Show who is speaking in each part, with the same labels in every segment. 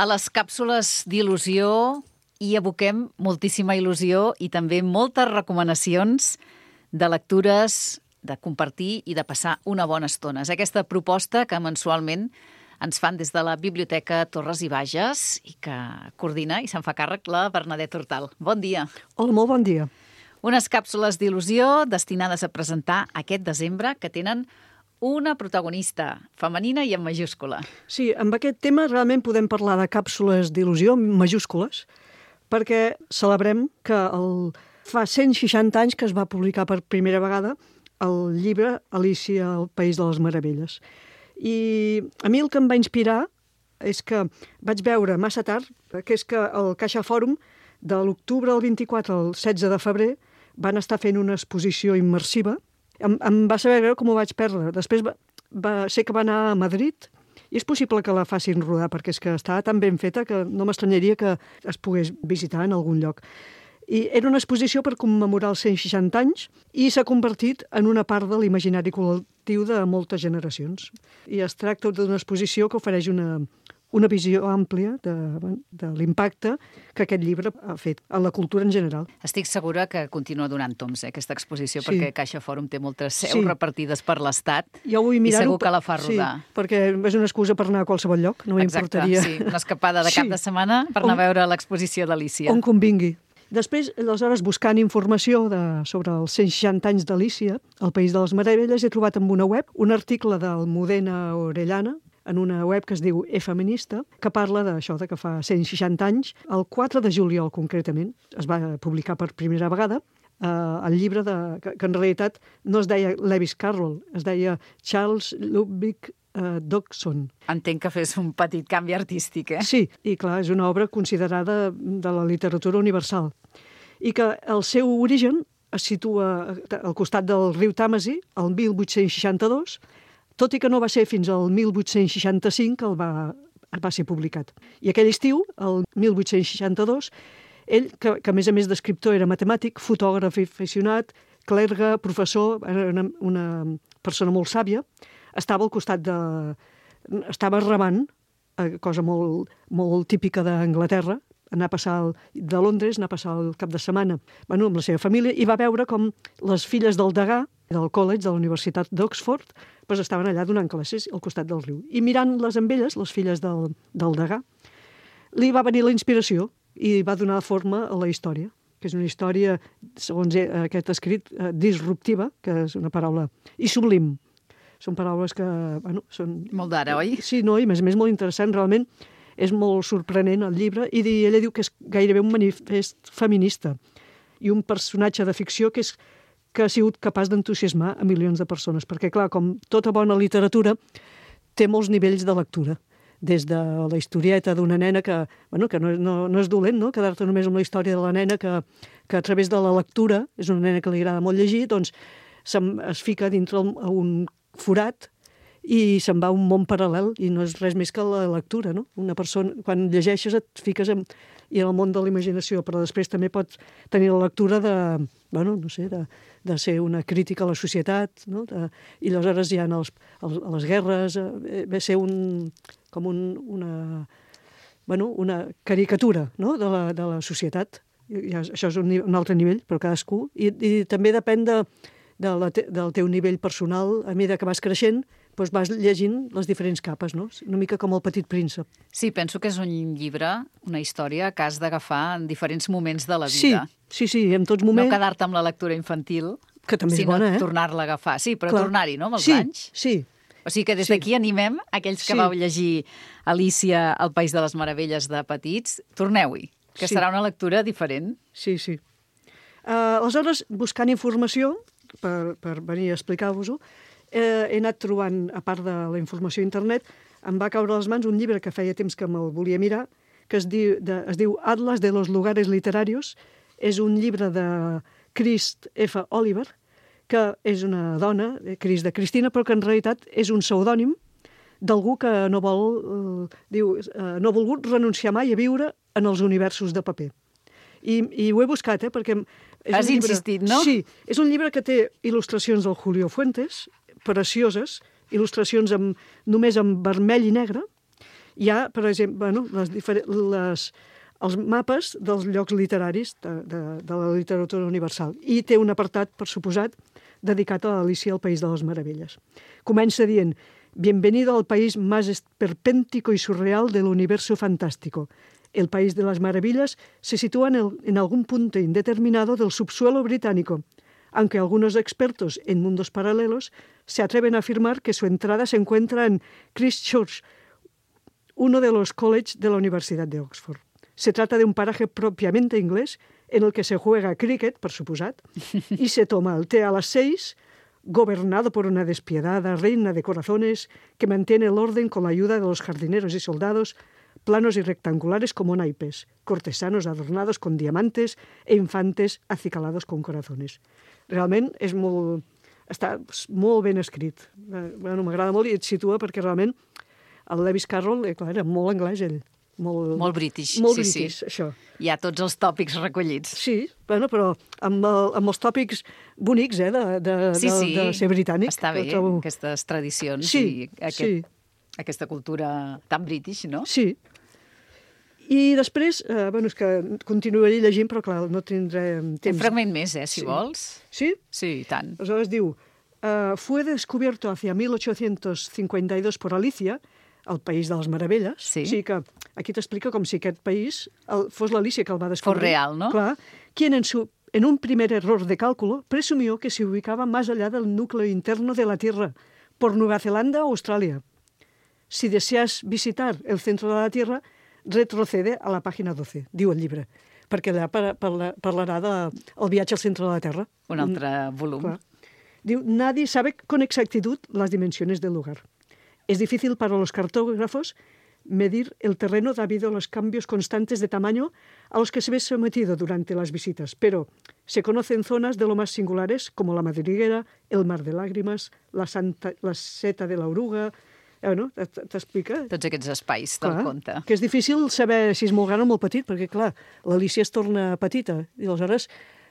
Speaker 1: A les càpsules d'il·lusió hi aboquem moltíssima il·lusió i també moltes recomanacions de lectures, de compartir i de passar una bona estona. És aquesta proposta que mensualment ens fan des de la Biblioteca Torres i Bages i que coordina i se'n fa càrrec la Bernadette Hortal. Bon dia.
Speaker 2: Hola, molt bon dia.
Speaker 1: Unes càpsules d'il·lusió destinades a presentar aquest desembre que tenen una protagonista femenina i en majúscula.
Speaker 2: Sí, amb aquest tema realment podem parlar de càpsules d'il·lusió majúscules perquè celebrem que fa 160 anys que es va publicar per primera vegada el llibre Alícia al País de les Meravelles. I a mi el que em va inspirar és que vaig veure massa tard que és que el Caixa Fòrum de l'octubre al 24 al 16 de febrer van estar fent una exposició immersiva. Em va saber greu com ho vaig perdre. Després sé que va anar a Madrid i és possible que la facin rodar perquè és que estava tan ben feta que no m'estranyaria que es pogués visitar en algun lloc. I era una exposició per commemorar els 160 anys i s'ha convertit en una part de l'imaginari col·lectiu de moltes generacions. I es tracta d'una exposició que ofereix una visió àmplia de l'impacte que aquest llibre ha fet en la cultura en general.
Speaker 1: Estic segura que continua donant toms, aquesta exposició, perquè Caixa Fòrum té moltes seus repartides per l'Estat i segur que la fa rodar.
Speaker 2: Sí, perquè és una excusa per anar a qualsevol lloc, no m'importaria.
Speaker 1: Exacte, una escapada de cap de setmana per anar a veure l'exposició d'Alícia.
Speaker 2: On convingui. Després, aleshores, buscant informació sobre els 160 anys d'Alícia, al País de les Meravelles, he trobat en una web un article d'Almudena Orellana, en una web que es diu E-Feminista, que parla d'això, que fa 160 anys, el 4 de juliol concretament, es va publicar per primera vegada el llibre que en realitat no es deia Lewis Carroll, es deia Charles Ludwig Dodgson.
Speaker 1: Entenc que fes un petit canvi artístic, eh?
Speaker 2: Sí, i clar, és una obra considerada de la literatura universal. I que el seu origen es situa al costat del riu Tàmesi, el 1862, tot i que no va ser fins al 1865 que va ser publicat. I aquell estiu, el 1862, ell, que a més a més d'escriptor era matemàtic, fotògraf aficionat, clergue, professor, era una persona molt sàvia, estava al costat estava remant, cosa molt, molt típica d'Anglaterra, anar a passar de Londres, anar a passar el cap de setmana amb la seva família, i va veure com les filles del degà, del college, de la Universitat d'Oxford, estaven allà donant classes al costat del riu. I mirant-les amb elles, les filles del degà, li va venir la inspiració i va donar forma a la història, que és una història, segons aquest escrit, disruptiva, que és una paraula, i sublim. Són paraules que, són...
Speaker 1: Molt d'ara, oi?
Speaker 2: Sí, no, i a més molt interessant, realment és molt sorprenent el llibre, i ella diu que és gairebé un manifest feminista i un personatge de ficció que ha sigut capaç d'entusiasmar a milions de persones, perquè, clar, com tota bona literatura, té molts nivells de lectura, des de la historieta d'una nena que no és dolent, no?, quedar-te només amb la història de la nena que a través de la lectura, és una nena que li agrada molt llegir, doncs es fica dintre un forat i se'n va a un món paral·lel i no és res més que la lectura, no? Una persona, quan llegeixes et fiques en el món de la imaginació, però després també pots tenir la lectura de ser una crítica a la societat, no? I aleshores hi ha les guerres, ve ser una caricatura, no?, de la societat. Això és un altre nivell, però cadascú. I també depèn del teu nivell personal. A mesura que vas creixent, doncs vas llegint les diferents capes, no? Una mica com el Petit Príncep.
Speaker 1: Sí, penso que és un llibre, una història que has d'agafar en diferents moments de la vida.
Speaker 2: Sí, en tots moments.
Speaker 1: No quedar-te amb la lectura infantil,
Speaker 2: que també és bona,
Speaker 1: sinó tornar-la a agafar. Sí, però tornar-hi, no?, amb els anys.
Speaker 2: Sí.
Speaker 1: O sigui que des d'aquí animem aquells que vau llegir Alícia al País de les Meravelles de petits, torneu-hi, que serà una lectura diferent.
Speaker 2: Sí. Aleshores, buscant informació, per venir a explicar-vos-ho, he anat trobant, a part de la informació a internet, em va caure a les mans un llibre que feia temps que me'l volia mirar, que es diu Atlas de los lugares literarios. És un llibre de Krist F. Oliver, que és una dona, Krist de Cristina, però que en realitat és un pseudònim d'algú que no ha volgut renunciar mai a viure en els universos de paper. I ho he buscat, perquè...
Speaker 1: Has insistit, no?
Speaker 2: Sí, és un llibre que té il·lustracions del Julio Fuentes, precioses, il·lustracions només en vermell i negre, Hi ha, per exemple, els mapes dels llocs literaris de la literatura universal. I té un apartat, per suposat, dedicat a Alicia al País de les Meravelles. Comença dient: «Bienvenido al país más esperpéntico y surreal del universo fantástico. El País de las Maravillas se sitúa en algún punto indeterminado del subsuelo británico, aunque algunos expertos en mundos paralelos se atreven a afirmar que su entrada se encuentra en Christchurch, uno de los colleges de la Universidad de Oxford. Se trata de un paraje propiamente inglés en el que se juega cricket, por suposat, y se toma el té a las 6, gobernado por una despiadada reina de corazones que mantiene el orden con la ayuda de los jardineros y soldados, planos y rectangulares como naipes, cortesanos adornados con diamantes e infantes acicalados con corazones». Realment està molt ben escrit. M'agrada molt i et situa perquè realment el Lewis Carroll, clar, era molt anglès ell.
Speaker 1: Molt british.
Speaker 2: Molt british, això.
Speaker 1: Hi ha tots els tòpics recollits.
Speaker 2: Sí, però amb els tòpics bonics, de ser britànic.
Speaker 1: Està bé, aquestes tradicions i aquesta cultura tan british, no?
Speaker 2: Sí. I després, és que continuaré llegint, però clar, no tindré temps.
Speaker 1: Un fragment més, si vols.
Speaker 2: Sí?
Speaker 1: Sí, i tant.
Speaker 2: Aleshores diu: «Fue descubierto hacia 1852 por Alicia, el País de les Meravelles».
Speaker 1: Sí.
Speaker 2: O sigui que aquí t'explica com si aquest país fos l'Alicia que el va descobrir.
Speaker 1: Fos real, no?
Speaker 2: Clar. Quien en un primer error de cálculo presumió que se ubicaba más allá del núcleo interno de la Tierra, por Nueva Zelanda o Australia. Si deseas visitar el centro de la Tierra, retrocede a la pàgina 12, diu el llibre, perquè allà parlarà del viatge al centre de la Terra.
Speaker 1: Un altre volum.
Speaker 2: Clar. Diu: «Nadie sabe con exactitud las dimensiones del lugar. Es difícil para los cartógrafos medir el terreno debido a los cambios constantes de tamaño a los que se ve sometido durante las visitas, pero se conocen zonas de lo más singulares como la madriguera, el mar de lágrimas, la seta de la oruga». T'explica.
Speaker 1: Tots aquests espais del conte.
Speaker 2: Que és difícil saber si és molt gran o molt petit, perquè, clar, l'Alicia es torna petita i aleshores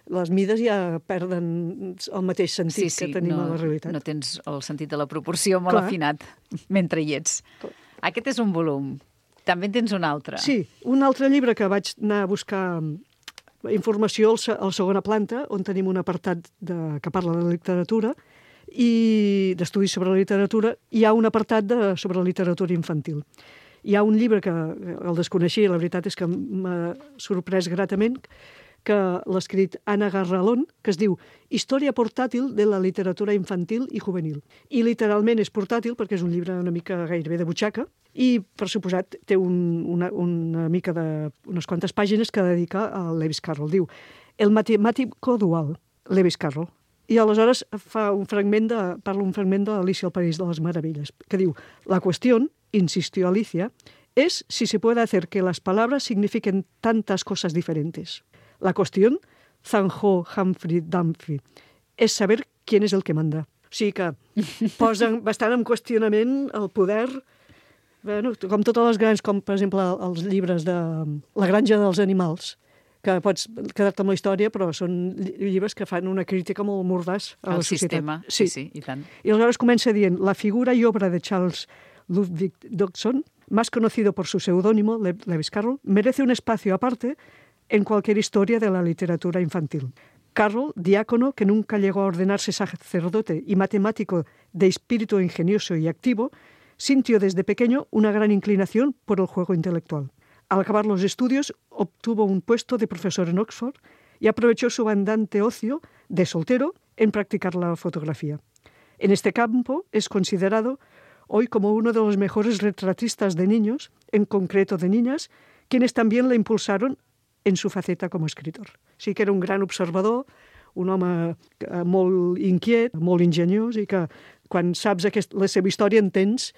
Speaker 2: les mides ja perden el mateix sentit que tenim a la realitat.
Speaker 1: No tens el sentit de la proporció molt afinat mentre hi ets. Aquest és un volum. També en tens un altre.
Speaker 2: Sí, un altre llibre que vaig anar a buscar informació a la segona planta, on tenim un apartat que parla de literatura, i d'estudis sobre la literatura. Hi ha un apartat sobre literatura infantil. Hi ha un llibre que el desconeixia, la veritat és que m'ha sorprès gratament, que l'ha escrit Anna Garralón, que es diu Història portàtil de la literatura infantil i juvenil. I literalment és portàtil perquè és un llibre una mica gairebé de butxaca i, per suposat, té una mica unes quantes pàgines que dedica a Lewis Carroll. Diu El matemático dual, Lewis Carroll. I aleshores parla un fragment de Alicia al País de las Maravillas, que diu: «La cuestión, insistió Alicia, es si se puede hacer que las palabras signifiquen tantas cosas diferentes. La cuestión, zanjó Humphrey Dumphy, es saber quién es el que manda». O sigui que posen bastant en qüestionament el poder, com totes les grans, com per exemple els llibres de La granja dels animals, que pots quedar-te amb la història, però són llibres que fan una crítica molt mordàs a la societat.
Speaker 1: Sistema, sí, i tant.
Speaker 2: I aleshores comença dient: «La figura y obra de Charles Ludwig Dodgson, más conocido por su seudónimo, Lewis Carroll, merece un espacio aparte en cualquier historia de la literatura infantil. Carroll, diácono que nunca llegó a ordenarse sacerdote y matemático de espíritu ingenioso y activo, sintió desde pequeño una gran inclinación por el juego intelectual. Al acabar los estudios, obtuvo un puesto de profesor en Oxford y aprovechó su abundante ocio de soltero en practicar la fotografía. En este campo es considerado hoy como uno de los mejores retratistas de niños, en concreto de niñas, quienes también le impulsaron en su faceta como escritor». Sí que era un gran observador, un home molt inquiet, molt ingeniós, i que quan saps la seva història entens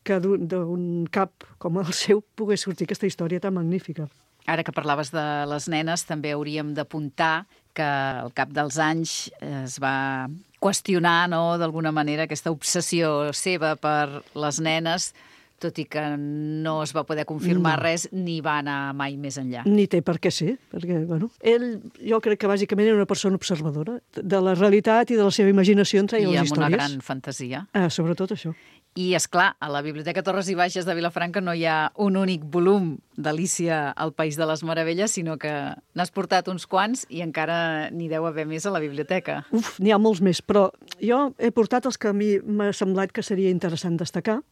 Speaker 2: que d'un cap com el seu pogués sortir aquesta història tan magnífica.
Speaker 1: Ara que parlaves de les nenes, també hauríem d'apuntar que al cap dels anys es va qüestionar, no, d'alguna manera, aquesta obsessió seva per les nenes, tot i que no es va poder confirmar res ni va anar mai més enllà.
Speaker 2: Ni té per què ser, perquè, ell jo crec que bàsicament era una persona observadora de la realitat i de la seva imaginació en treia les històries.
Speaker 1: I amb una gran fantasia.
Speaker 2: Sobretot això.
Speaker 1: I, és clar, a la Biblioteca Torres i Bages de Vilafranca no hi ha un únic volum d'Alícia al País de les Meravelles, sinó que n'has portat uns quants i encara n'hi deu haver més a la biblioteca.
Speaker 2: N'hi ha molts més, però jo he portat els que a mi m'ha semblat que seria interessant destacar.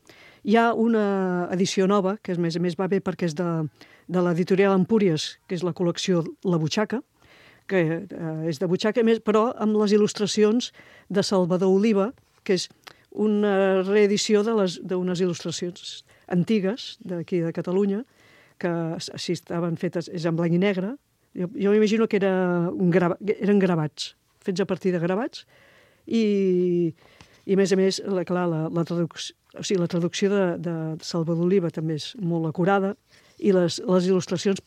Speaker 2: Hi ha una edició nova, que a més va bé perquè és de l'editorial Empúries, que és la col·lecció La Butxaca, que és de butxaca, però amb les il·lustracions de Salvador Oliva, que és una reedició d'unes il·lustracions antigues d'aquí de Catalunya, que si estaven fetes, és en blanc i negre. Jo m'imagino que eren gravats, fets a partir de gravats, i a més, la traducció de Salvador Oliva també és molt acurada, i les il·lustracions,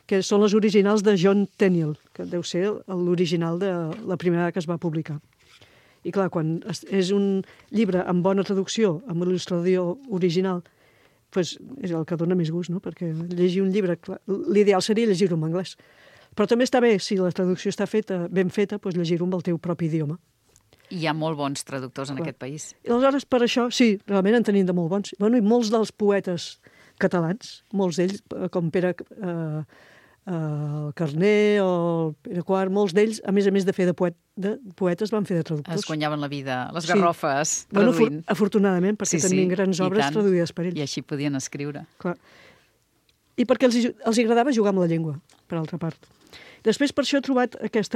Speaker 2: que són les originals de John Tenniel, que deu ser l'original de la primera que es va publicar. I clar, quan és un llibre amb bona traducció, amb il·lustració original, doncs és el que dona més gust, no? Perquè llegir un llibre, l'ideal seria llegir-ho en anglès. Però també està bé, si la traducció està ben feta, doncs llegir-ho amb el teu propi idioma.
Speaker 1: I hi ha molt bons traductors en aquest país.
Speaker 2: I aleshores, per això, sí, realment en tenim de molt bons. Bueno, i molts dels poetes catalans, molts d'ells, com Pere Carner o Pere Quart, molts d'ells, a més de fer de poetes, van fer de traductors.
Speaker 1: Es guanyaven la vida, les garrofes, traduint.
Speaker 2: Afortunadament, perquè tenien grans obres traduïdes per ells.
Speaker 1: I així podien escriure.
Speaker 2: Clar. I perquè els agradava jugar amb la llengua, per altra part. Després, per això he trobat aquest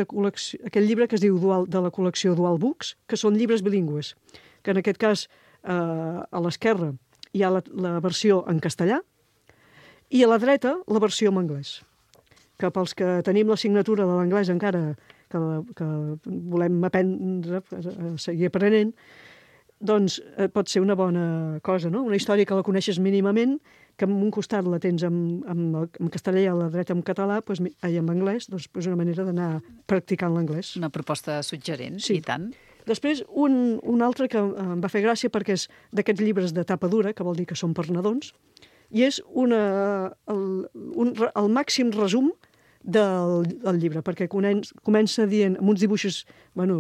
Speaker 2: llibre que es diu de la col·lecció Dual Books, que són llibres bilingües, que en aquest cas, a l'esquerra, hi ha la versió en castellà i a la dreta la versió en anglès. Que pels que tenim la signatura de l'anglès encara, que volem aprendre, seguir aprenent, doncs pot ser una bona cosa, no? Una història que la coneixes mínimament, que en un costat la tens en castellà i a la dreta en català, i en anglès, doncs és una manera d'anar practicant l'anglès.
Speaker 1: Una proposta suggerent,
Speaker 2: sí.
Speaker 1: I tant.
Speaker 2: Després, un altre que em va fer gràcia perquè és d'aquests llibres de tapa dura, que vol dir que són per nadons, i és el màxim resum del llibre, perquè comença dient, amb uns dibuixos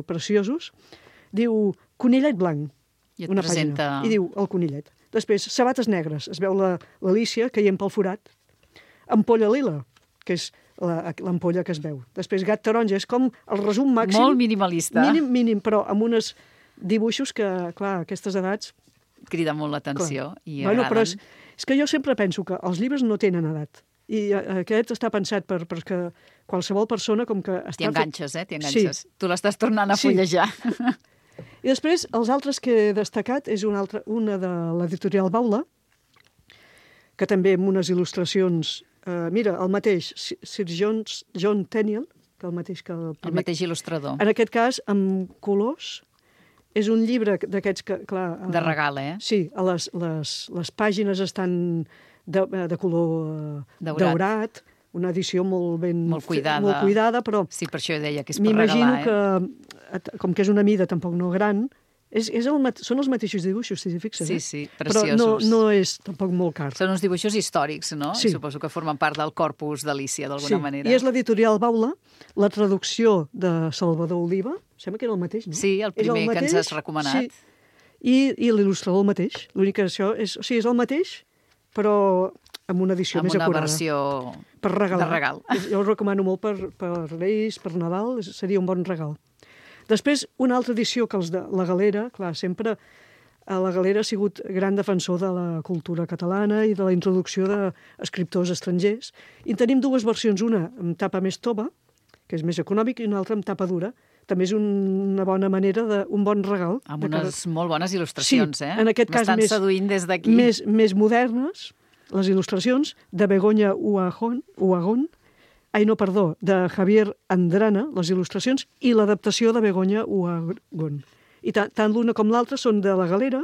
Speaker 2: preciosos, diu conillet blanc, una pàgina, i diu el conillet. Després, sabates negres, es veu l'Alícia caient pel forat. Ampolla lila, que és l'ampolla que es veu. Després, gat taronja, és com el resum màxim.
Speaker 1: Molt minimalista.
Speaker 2: Mínim, però amb uns dibuixos que, clar, a aquestes edats...
Speaker 1: Crida molt l'atenció i agraden.
Speaker 2: Però és que jo sempre penso que els llibres no tenen edat. I aquest està pensat perquè qualsevol persona com que...
Speaker 1: T'hi enganxes, T'hi enganxes. Sí. Tu l'estàs tornant a fullejar.
Speaker 2: I després, els altres que he destacat és una de l'editorial Baula, que també amb unes il·lustracions... mira, el mateix, Sir John Tenniel, que el mateix que el primer...
Speaker 1: El mateix il·lustrador.
Speaker 2: En aquest cas, amb colors. És un llibre d'aquests que, clar...
Speaker 1: De regal,
Speaker 2: Sí, les pàgines estan de color daurat, una edició molt cuidada, però...
Speaker 1: Sí, per això deia que és per regalar,
Speaker 2: M'imagino que, com que és una mida tampoc no gran, són els mateixos dibuixos, si t'hi fixes.
Speaker 1: Sí, preciosos.
Speaker 2: Però no és tampoc molt car.
Speaker 1: Són uns dibuixos històrics, no?
Speaker 2: Sí.
Speaker 1: Suposo que formen part del corpus d'Alícia, d'alguna manera.
Speaker 2: I és l'editorial Baula, la traducció de Salvador Oliva, sembla que era el mateix, no?
Speaker 1: Sí, el primer que ens has recomanat.
Speaker 2: Sí. I l'il·lustrador el mateix. L'únic que això és el mateix, però amb una edició més acurada.
Speaker 1: Amb una versió
Speaker 2: per regalar.
Speaker 1: De regal.
Speaker 2: Jo ho recomano molt per Reis, per Nadal, seria un bon regal. Després, una altra edició que els de la Galera, clar, sempre la Galera ha sigut gran defensor de la cultura catalana i de la introducció d'escriptors estrangers. I en tenim dues versions, una amb tapa més tova, que és més econòmic, i una altra amb tapa dura. També és una bona manera, un bon regal.
Speaker 1: Amb unes molt bones il·lustracions,
Speaker 2: sí, en aquest cas
Speaker 1: m'estan seduint des d'aquí.
Speaker 2: Més modernes, les il·lustracions de Begoña Uhagón, de Javier Andrana, les il·lustracions, i l'adaptació de Begoña Uhagón. I tant l'una com l'altra són de la Galera,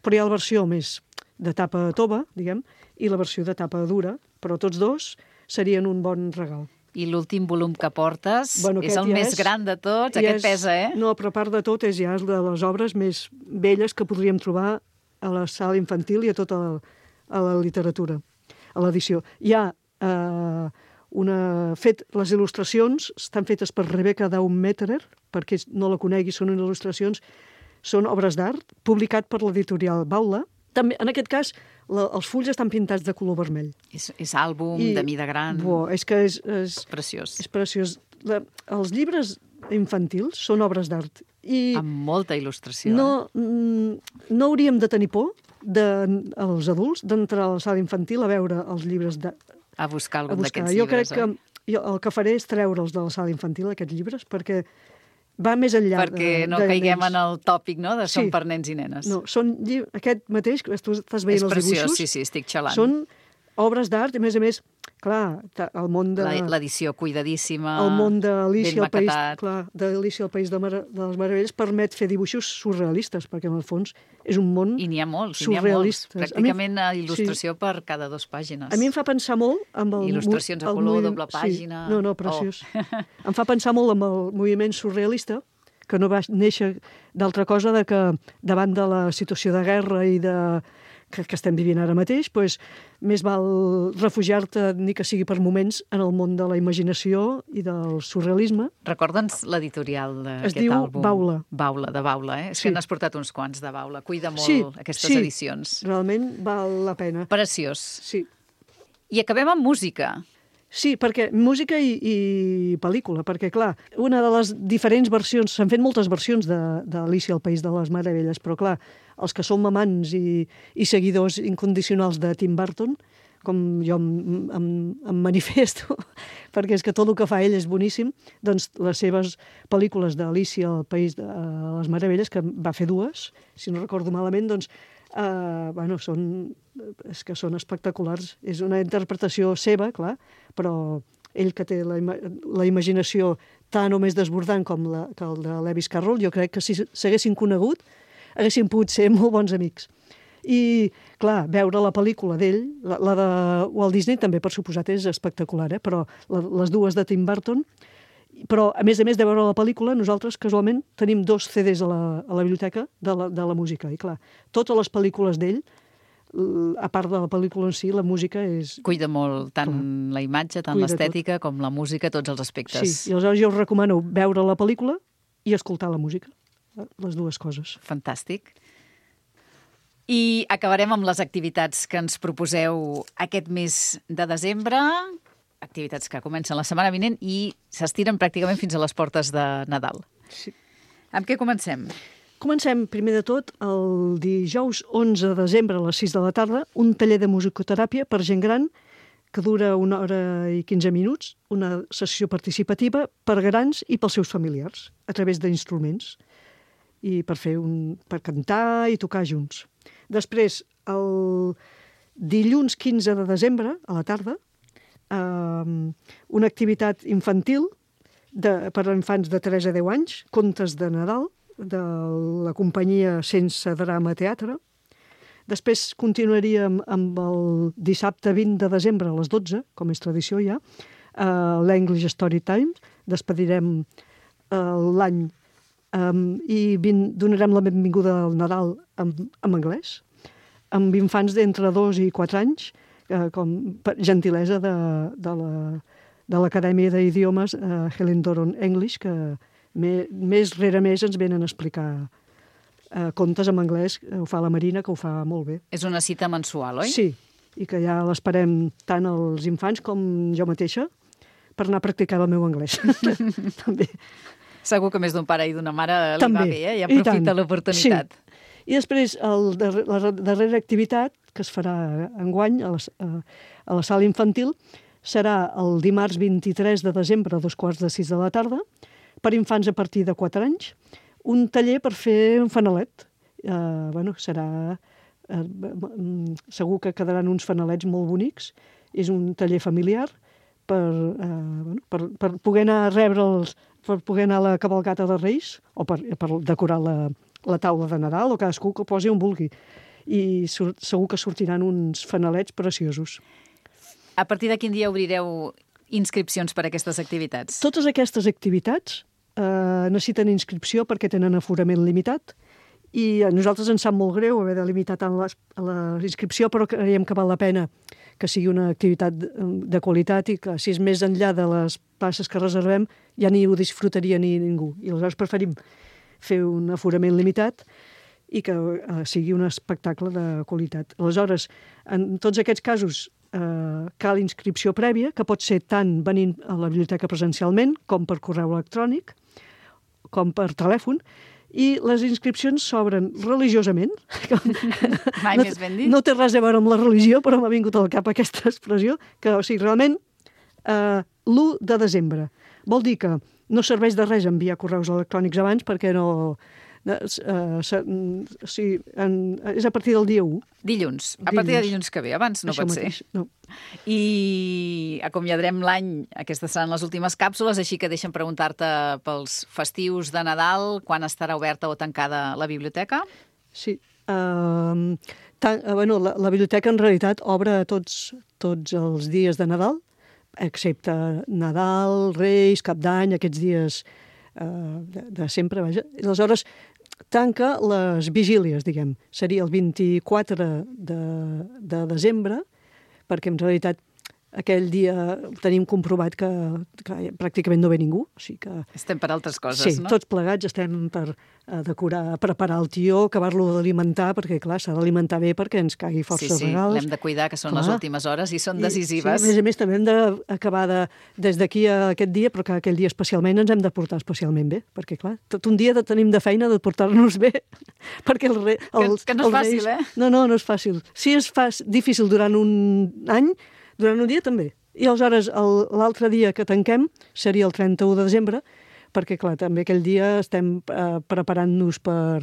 Speaker 2: però hi ha la versió més de tapa tova, diguem, i la versió de tapa dura, però tots dos serien un bon regal.
Speaker 1: I l'últim volum que portes és el més gran de tots, aquest pesa,
Speaker 2: No, però a part de tot és ja de les obres més velles que podríem trobar a la sala infantil i a tota la literatura, a l'edició. Hi ha les il·lustracions estan fetes per Rebecca Daumetterer, perquè no la conegui, són il·lustracions són obres d'art, publicat per l'editorial Baula. També, en aquest cas, els fulls estan pintats de color vermell.
Speaker 1: És àlbum, de mida gran.
Speaker 2: És que és
Speaker 1: preciós.
Speaker 2: És preciós. Els llibres infantils són obres d'art.
Speaker 1: Amb molta il·lustració.
Speaker 2: No hauríem de tenir por, els adults, d'entrar a la sala infantil a veure els llibres
Speaker 1: a buscar algun d'aquests llibres.
Speaker 2: Jo crec que el que faré és treure'ls de la sala infantil, aquests llibres, perquè va més enllà
Speaker 1: perquè no caiguem en el tòpic, no?, de són per nens i nenes.
Speaker 2: No, són aquest mateix, tu estàs veient els dibuixos.
Speaker 1: És preciós, sí, estic xalant.
Speaker 2: Són obres d'art, i a més, clar, el món de...
Speaker 1: L'edició cuidadíssima,
Speaker 2: el món d'Alícia
Speaker 1: ben maquetat.
Speaker 2: d'Alícia al País de les Meravelles permet fer dibuixos surrealistes, perquè en el fons és un món surrealista.
Speaker 1: I n'hi ha molts. Pràcticament il·lustració per cada 2 pàgines.
Speaker 2: A mi em fa pensar molt amb el...
Speaker 1: Il·lustracions a color, doble pàgina...
Speaker 2: Sí. No, preciós. Em fa pensar molt amb el moviment surrealista, que no va néixer d'altra cosa de que davant de la situació de guerra i que estem vivint ara mateix, doncs més val refugiar-te, ni que sigui per moments, en el món de la imaginació i del surrealisme.
Speaker 1: Recorda'ns l'editorial d'aquest àlbum.
Speaker 2: Es diu Baula.
Speaker 1: Baula, de Baula, eh? És que n'has portat uns quants de Baula. Cuida molt aquestes edicions.
Speaker 2: Sí, realment val la pena.
Speaker 1: Preciós.
Speaker 2: Sí.
Speaker 1: I acabem amb música.
Speaker 2: Sí, perquè música i pel·lícula, perquè, clar, una de les diferents versions, s'han fet moltes versions d'Alícia al País de les Meravelles, però, clar, els que som amants i seguidors incondicionals de Tim Burton, com jo em manifesto, perquè és que tot el que fa ell és boníssim, doncs les seves pel·lícules d'Alícia al País de les Meravelles, que va fer 2, si no recordo malament, doncs són espectaculars. És una interpretació seva, clar, però ell que té la imaginació tan o més desbordant com que el de Lewis Carroll, jo crec que si s'haguessin conegut haguessin pogut ser molt bons amics. I, clar, veure la pel·lícula d'ell, la de Walt Disney també, per suposat, és espectacular, però les 2 de Tim Burton. Però, a més de veure la pel·lícula, nosaltres, casualment, tenim 2 CDs a la biblioteca de la música. I, clar, totes les pel·lícules d'ell, a part de la pel·lícula en si, la música és...
Speaker 1: Cuida molt tant la imatge, tant l'estètica, com la música, tots els aspectes.
Speaker 2: Sí, i aleshores jo us recomano veure la pel·lícula i escoltar la música. Les 2 coses.
Speaker 1: Fantàstic. I acabarem amb les activitats que ens proposeu aquest mes de desembre, activitats que comencen la setmana vinent i s'estiren pràcticament fins a les portes de Nadal.
Speaker 2: Sí.
Speaker 1: Amb què comencem?
Speaker 2: Comencem, primer de tot, el dijous 11 de desembre a les 6 de la tarda, un taller de musicoteràpia per gent gran que dura 1 hora i 15 minuts, una sessió participativa per grans i pels seus familiars, a través d'instruments, i per cantar i tocar junts. Després, el dilluns 15 de desembre, a la tarda, una activitat infantil per a infants de 3 a 10 anys, contes de Nadal, de la companyia Sense Drama Teatre. Després continuaríem amb el dissabte 20 de desembre a les 12, com és tradició ja, l'English Story Time. Despedirem l'any i donarem la benvinguda al Nadal en anglès, amb infants d'entre 2 i 4 anys, com per gentilesa de l'Acadèmia d'Idiomes Helen Doron English, que més rere més ens venen a explicar contes en anglès. Ho fa la Marina, que ho fa molt bé.
Speaker 1: És una cita mensual, oi?
Speaker 2: Sí, i que ja l'esperem tant els infants com jo mateixa per anar a practicar el meu anglès. També.
Speaker 1: Segur que més d'un pare i d'una mare li va bé, i aprofita l'oportunitat.
Speaker 2: Sí. I després, la darrera activitat, que es farà enguany a la sala infantil, serà el dimarts 23 de desembre a 5:15 de la tarda, per infants a partir de 4 anys, un taller per fer un fanalet. Segur que quedaran uns fanalets molt bonics. És un taller familiar per poder anar a rebre'ls, per poder anar a la cavalcata de Reis, o per decorar la taula de Nadal, o cadascú que posi on vulgui. I segur que sortiran uns fanalets preciosos.
Speaker 1: A partir de quin dia obrireu inscripcions per a aquestes activitats?
Speaker 2: Totes aquestes activitats necessiten inscripció perquè tenen aforament limitat, i a nosaltres ens sap molt greu haver de limitar tant la inscripció, però creiem que val la pena que sigui una activitat de qualitat i que, si és més enllà de les places que reservem, ja ni ho disfrutaria ni ningú. I aleshores preferim fer un aforament limitat i que sigui un espectacle de qualitat. Aleshores, en tots aquests casos cal inscripció prèvia, que pot ser tant venint a la biblioteca presencialment com per correu electrònic, com per telèfon, i les inscripcions s'obren religiosament.
Speaker 1: Mai més ben dit.
Speaker 2: No té res a veure amb la religió, però m'ha vingut al cap aquesta expressió, que, o sigui, realment, l'1 de desembre. Vol dir que no serveix de res enviar correus electrònics abans perquè no... és a partir del dia 1.
Speaker 1: Dilluns. A partir de dilluns que ve. Abans no
Speaker 2: Això
Speaker 1: pot
Speaker 2: mateix,
Speaker 1: ser.
Speaker 2: no.
Speaker 1: I acomiadarem l'any. Aquestes seran les últimes càpsules, així que deixa'm preguntar-te pels festius de Nadal, quan estarà oberta o tancada la biblioteca?
Speaker 2: Sí. La biblioteca en realitat obre tots els dies de Nadal, excepte Nadal, Reis, Cap d'Any, aquests dies de sempre, vaja. Aleshores, tanca les vigílies, diguem. Seria el 24 de desembre, perquè en realitat aquell dia tenim comprovat que pràcticament no ve ningú. O sigui que...
Speaker 1: Estem per altres coses,
Speaker 2: sí,
Speaker 1: no?
Speaker 2: Tots plegats estem per decorar, preparar el tió, acabar-lo d'alimentar, perquè, clar, s'ha d'alimentar bé perquè ens caigui força regals.
Speaker 1: L'hem de cuidar, que són les últimes hores i són decisives.
Speaker 2: Sí, a més, també hem d'acabar des d'aquí a aquest dia, però que aquell dia especialment ens hem de portar especialment bé, perquè, clar, tot un dia tenim de feina de portar-nos bé, perquè
Speaker 1: que no és fàcil,
Speaker 2: Reis... No és fàcil. Si és difícil durant un any, durant un dia també. I aleshores l'altre dia que tanquem seria el 31 de desembre, perquè, clar, també aquell dia estem preparant-nos per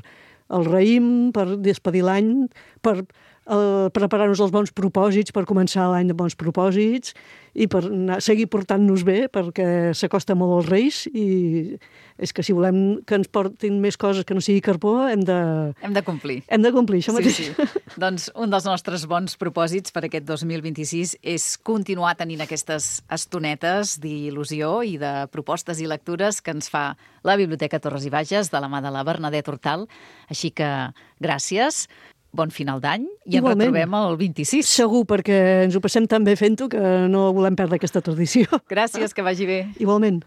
Speaker 2: el raïm, per despedir l'any, per preparar-nos els bons propòsits, per començar l'any de bons propòsits i per seguir portant-nos bé, perquè s'acosta molt als Reis i és que si volem que ens portin més coses que no sigui carbó, hem de
Speaker 1: complir.
Speaker 2: Hem de complir, això mateix.
Speaker 1: Sí. Doncs un dels nostres bons propòsits per aquest 2026 és continuar tenint aquestes estonetes d'il·lusió i de propostes i lectures que ens fa la Biblioteca Torres i Bages de la mà de la Bernadette Hortal. Així que gràcies. Bon final d'any i ens retrobem el 26.
Speaker 2: Segur, perquè ens ho passem tan bé fent-ho que no volem perdre aquesta tradició.
Speaker 1: Gràcies, que vagi bé.
Speaker 2: Igualment.